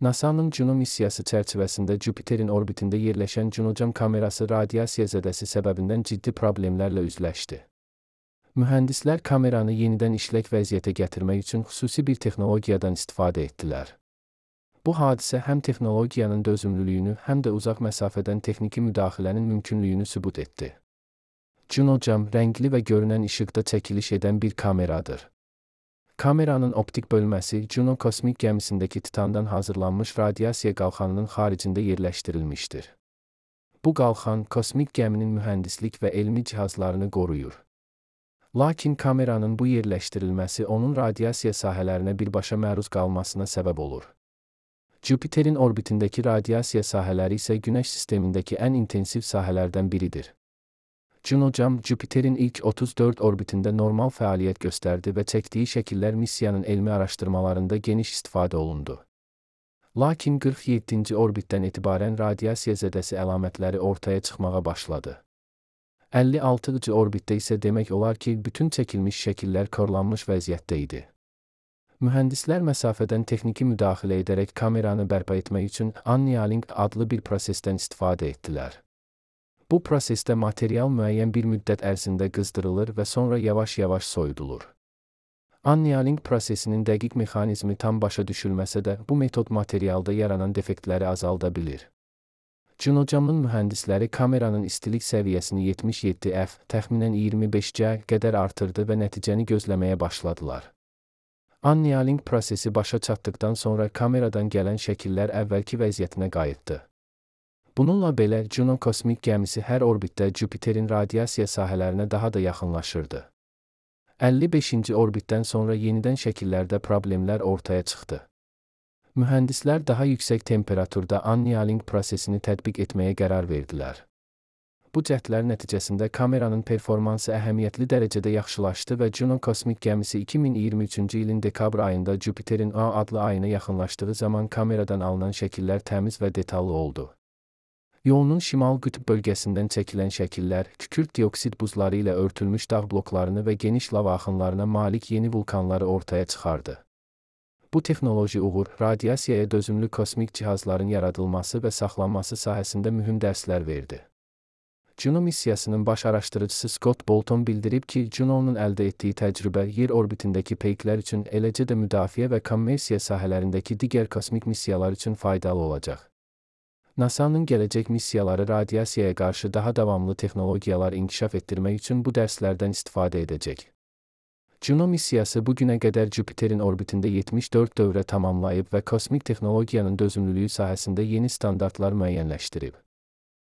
NASA-nın Juno missiyası çərçivəsində Jüpiterin orbitində yerləşən Junocam kamerası radiasiya zədəsi səbəbindən ciddi problemlərlə üzləşdi. Mühəndislər kameranı yenidən işlək vəziyyətə gətirmək üçün xüsusi bir texnologiyadan istifadə etdilər. Bu hadisə həm texnologiyanın dözümlülüyünü, həm də uzaq məsafədən texniki müdaxilənin mümkünlüyünü sübut etdi. Junocam rəngli və görünən işıqda çəkiliş edən bir kameradır. Kameranın optik bölməsi Juno kosmik gəmisindəki titandan hazırlanmış radiasiya qalxanının xaricində yerləşdirilmişdir. Bu qalxan kosmik gəminin mühəndislik və elmi cihazlarını qoruyur. Lakin kameranın bu yerləşdirilməsi onun radiasiya sahələrinə birbaşa məruz qalmasına səbəb olur. Jüpiterin orbitindəki radiasiya sahələri isə Günəş sistemindəki ən intensiv sahələrdən biridir. Junocam, Jüpiterin ilk 34 orbitində normal fəaliyyət göstərdi və çəkdiyi şəkillər missiyanın elmi araşdırmalarında geniş istifadə olundu. Lakin 47-ci orbitdən etibarən radiasiya zədəsi əlamətləri ortaya çıxmağa başladı. 56-cı orbitdə isə demək olar ki, bütün çəkilmiş şəkillər korlanmış vəziyyətdə idi. Mühəndislər məsafədən texniki müdaxilə edərək kameranı bərpa etmək üçün annealing adlı bir prosesdən istifadə etdilər. Bu prosesdə material müəyyən bir müddət ərzində qızdırılır və sonra yavaş-yavaş soyudulur. Annealing prosesinin dəqiq mexanizmi tam başa düşülməsə də, bu metod materialda yaranan defektləri azalda bilir. Junocamın mühəndisləri kameranın istilik səviyyəsini 77 F, təxminən 25 C qədər artırdı və nəticəni gözləməyə başladılar. Annealing prosesi başa çatdıqdan sonra kameradan gələn şəkillər əvvəlki vəziyyətinə qayıtdı. Bununla belə, Juno kosmik gəmisi hər orbitdə Jüpiterin radiasiya sahələrinə daha da yaxınlaşırdı. 55-ci orbitdən sonra yenidən şəkillərdə problemlər ortaya çıxdı. Mühəndislər daha yüksək temperaturda annealing prosesini tətbiq etməyə qərar verdilər. Bu cəhdlər nəticəsində kameranın performansı əhəmiyyətli dərəcədə yaxşılaşdı və Juno kosmik gəmisi 2023-cü ilin dekabr ayında Jüpiterin A adlı ayına yaxınlaşdığı zaman kameradan alınan şəkillər təmiz və detallı oldu. Yolunun şimal qütb bölgəsindən çəkilən şəkillər, kükürt dioksid buzları ilə örtülmüş dağ bloklarını və geniş lava axınlarına malik yeni vulkanları ortaya çıxardı. Bu texnoloji uğur, radiasiyaya dözümlü kosmik cihazların yaradılması və saxlanması sahəsində mühüm dərslər verdi. Juno missiyasının baş araşdırıcısı Scott Bolton bildirib ki, Juno'nun əldə etdiyi təcrübə yer orbitindəki peyklər üçün, eləcə də müdafiə və kommersiya sahələrindəki digər kosmik missiyalar üçün faydalı olacaq. NASA-nın gələcək missiyaları radiasiyaya qarşı daha davamlı texnologiyalar inkişaf etdirmək üçün bu dərslərdən istifadə edəcək. Juno missiyası bu günə qədər Jüpiterin orbitində 74 dövrə tamamlayıb və kosmik texnologiyanın dözümlülüyü sahəsində yeni standartlar müəyyənləşdirib.